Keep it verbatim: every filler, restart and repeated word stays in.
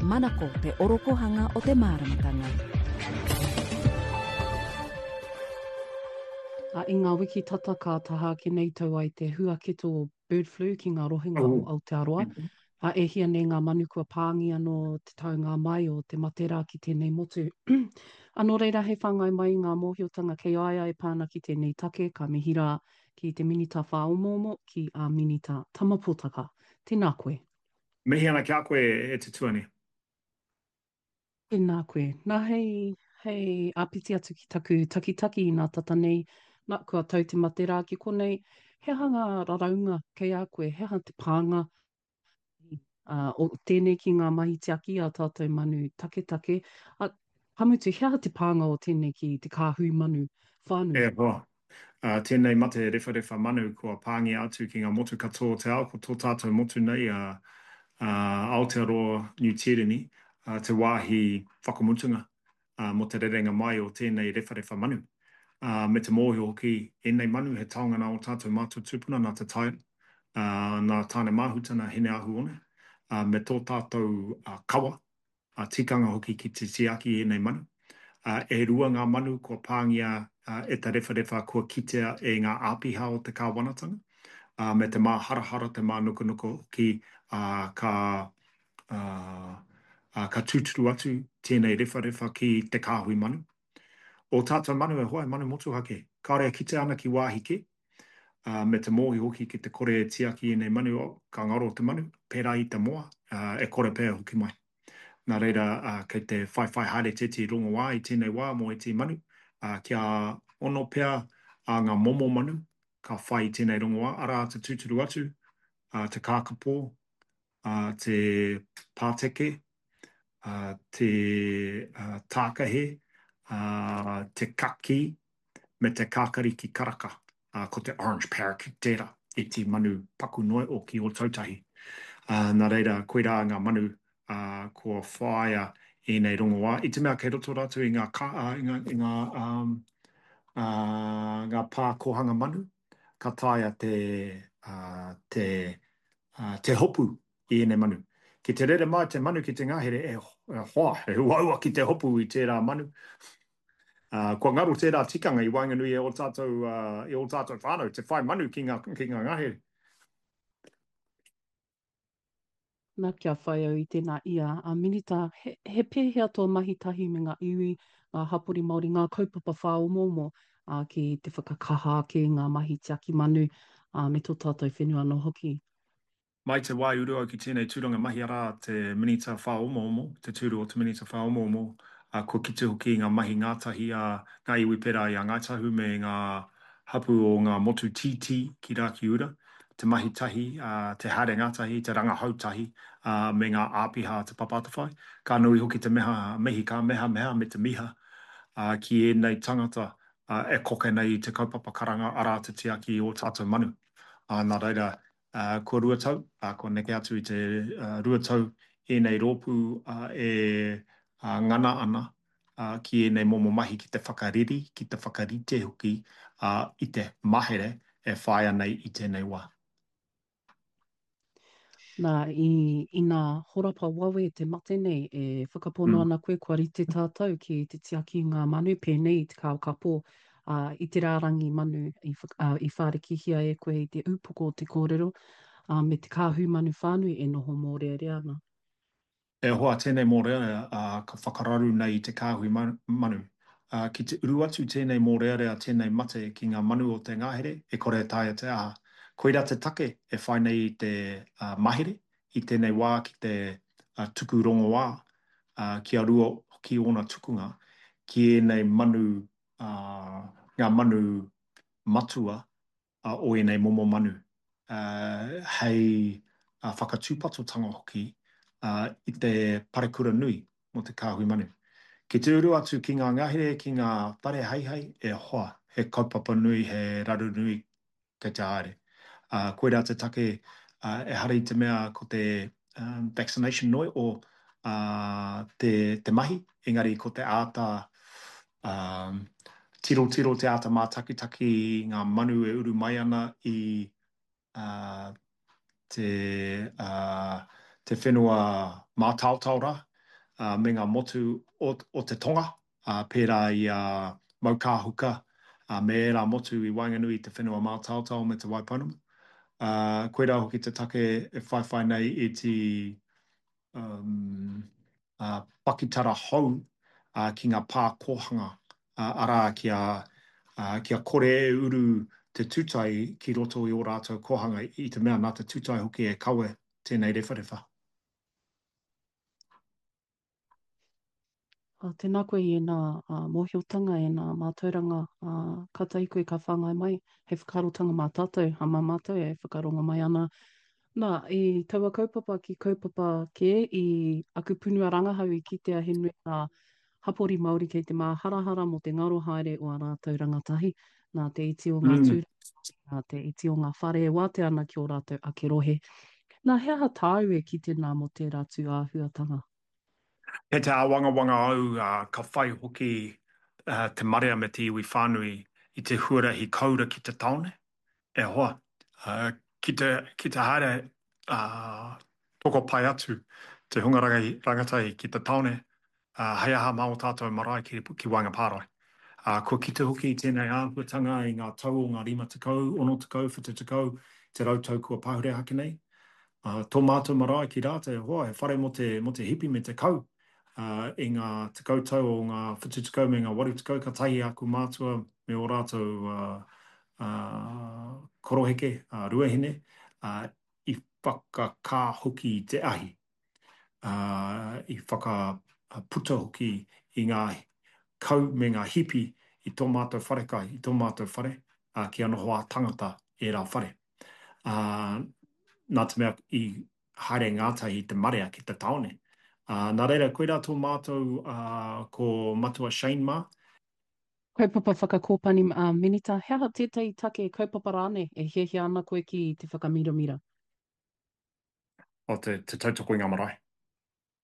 Manako te orokohanga o te māramatanga. A, i ngā wiki tata ka taha ake nei tau ai te huaketo o bird flu ki ngā rohenga o Aotearoa. A, e hia nei ngā manu kua pāngia nō te taunga mai o te mate rā ki tēnei motu. A nō reira hei whāngai mai i ngā mōhiotanga kei a ia e pā ana ki tēnei take, ka mihi rā ki te Minita Whāomoomo, ki a Minita Tama Potaka. Tēnā koe. Mihi ana ki a koe e te tuani. Tēnā koe. Nā, hei, hei āpiti atu ki taku takitaki inā tata nei, nā, kua tau te mate rā ki konei, he aha ngā raraunga kei a koe, he aha te pānga ā, o tēnei ki ngā mahi tiaki a tātou manu taketake, ā, ka mutu, he aha te pānga o tēnei ki te kāhui manu whānui? E hoa, ā, tēnei mate rewharewha manu kua pāngia atu ki ngā motu katoa o te ao, ko tō tātou motu nei a, a Aotearoa Niu Tīreni, ā, te wāhi whakamutunga ā, mō te rerenga mai o tēnei rewharewha manu. Ā, me te mōhio hoki, ēnei manu he taonga nā ō tātou mātua tūpuna, nā Te Tai, ā, nā Tāne-māhuta, nā Hine-ahu-one, ā, me tō tātou kawa, ā, tikanga hoki ki te tiaki i ēnei manu. Ā, e rua ngā manu kua pāngia e te rewharewha kua kitea e ngā āpiha o te kāwanatanga, ā, me te māharahara, te mānukanuka hoki, ā, ka, ā, ā, ka tūturu atu tēnei rewharewha ki te kāhui manu. Ō tātou manu e hoa, he manu motuhake, kāore e kitea ana ki wāhi kē, ā, me te mōhio hoki ki te kore e tiaki ēnei manu, oh, ka ngaro te manu, pērā i te moa, ā, e kore pea e hoki mai. Nā reira, ā, kei te whaiwhai haere tētehi rongoā i tēnei wā mō ētehi manu, ā, kia ono pea ā ngā momo manu ka whai i tēnei rongoā, arā, te tūturu atu, ā, te kākapō, ā, te pāteke, ā, te tākahe, ā, te kakī, me te kākariki karaka, ā, ko te orange parakeet tērā, iti manu paku noa o ki Ōtautahi. Ā, nā reira, koirā ngā manu, ā, kua whāia ēnei rongoā, i te mea kei roto rātou i ngā kā, ā, i ngā, i ngā, ā, ā, ngā pā kōhanga manu, ka taea te, ā, te, ā, te hopu i ēnei manu. Ki te rere mai te manu ki te ngahere, e, e hoa, he uaua ki te hopu i tērā manu. Ā, kua ngaro tērā tikanga i waenganui i ō tātou, ā, i ō tātou whānau, te whai manu ki ngā, ki ngā ngahere. Na, kia whai au i tēnā ia, a Minita, he, he pēhea tō mahi tahi me ngā iwi, ngā hapori Māori, ngā kaupapa whāomoomo, ā, ki te whakakaha ake i ngā mahi tiaki manu, ā, me tō tātou whenua anō hoki? Mai te wā i uru au ki tēnei tūranga mahi arā te Minita Whāomoomo, te tūru o te Minita Whāomoomo, ā, kua kite hoki i ngā mahi ngātahi a ngā iwi pērā i a Ngāi Tahu me ngā hapū o ngā motu tītī ki Rakiura, te mahi tahi, ā, te haere ngātahi, te rangahau tahi, ā, me ngā āpiha a Te Papa Atawhai. Ka nui hoki te meha, mihi ka mehameha me te miha, ā, ki ēnei tangata, ā, e koke nei i te kaupapa karanga arā te tiaki i ō tātou manu. Ā, nā reira, Ā, kua rua tau, ā, kua neke atu i te rua tau ēnei rōpū e ngana ana ki ēnei momo mahi ki te whakareri, ki te whakarite hoki i te mahere e whāia nei i tēnei wā. Nā, i, ina horapa wawe te mate nei, e whakapono ana koe kua rite tātou ki te tiaki i ngā manu pēnei i te kākapō ā, i te rārangi manu i, ā, i whārikihia e koe i te upoko o te kōrero, ā, me te kāhui manu whānui e noho mōrearea ana. E hoa, tēnei mōrearea, ā, ka whakararu nei i te kāhui manu. Ā, ki te uru atu tēnei mōrearea, tēnei mate ki ngā manu o te ngahere, e kore e taea te aha. Koirā te take e whai nei i te mahere i tēnei wā ki te tuku rongoā, ā, kia rua hoki ōna tukunga ki ēnei manu ā, ngā manu matua o ēnei momo manu, ā, hei whakatūpatotanga hoki i te parekura nui mō te kāhui manu. Ki te uru atu ki ngā ngahere, ki ngā whare heihei, e hoa, he kaupapa nui, he raru nui kei te haere. Ā, koirā te take, ā, ehara i te mea ko te vaccination noi o, ā, te, te mahi, engari ko te āta, ā, tirotiro, te āta mātakitaki i ngā manu e uru mai ana i, ā, te, ā, te whenua mātaotao rā, me ngā motu o, o te tonga, pērā i a Maukāhuka me ērā motu i waenganui i te whenua mātaotao me Te Waipounamu. Koirā hoki te take e whaiwhai nei i te pakitara hou ki ngā pā kōhanga, arā, kia, kia kore e uru te tūtai ki roto i ō rātou kōhanga, i te mea nā te tūtai hoki e kawe tēnei rewharewha. Tēnā koe i ēnā mōhiotanga, ēnā mātauranga, kātahi koe ka whāngai mai hei whakaarotanga mā tātou, mā mātou e whakarongo mai ana. Nā, i taua kaupapa ki kaupapa kē, i aku punua rangahau i kitea he nui ngā hapori Māori kei te māharahara mō te ngaro haere o ā rātou rangatahi, nā te iti o ngā tūranga Māori, nā te iti o ngā whare e wātea ana ki ō rātou ake rohe. Nā, he aha tāu e kite nā mō tērā tū āhuatanga? Kei te āwangawanga au ka whai hoki te marea me te iwi whānui i te huarahi koura ki te tāone. E hoa, ki te, ki te haere tokopae atu te hunga rangatahi ki te tāone, hei aha mā ō tātou marae ki, ki waenga pārae. Kua kite hoki i tēnei āhuatanga i ngā tau o ngā rima tekau, ono tekau, whitu tekau, te rau tau kua pahure ake nei. Tō mātou marae ki Rāta, e hoa, he whare mō te, mō te hipi me te kau. I ngā tekau tau o ngā whitu tekau me ngā waru tekau, kātahi aku mātua me ō rātou koroheke, ruahine, i whakakā hoki i te ahi, i whakaputa hoki i ngā kau me ngā hipi i tō mātou wharekai, i tō mātou whare, kia noho ā-tangata ērā whare. Nā te mea i haere ngātahi te marea ki te tāone. Nā reira, koirā tō mātou ko Matua Shane mā. Kaupapa whakakōpani Minita, he aha tētahi take, kaupapa rānei e hiahia ana koe ki te whakamiramira? O te, te tautoko i ngā marae.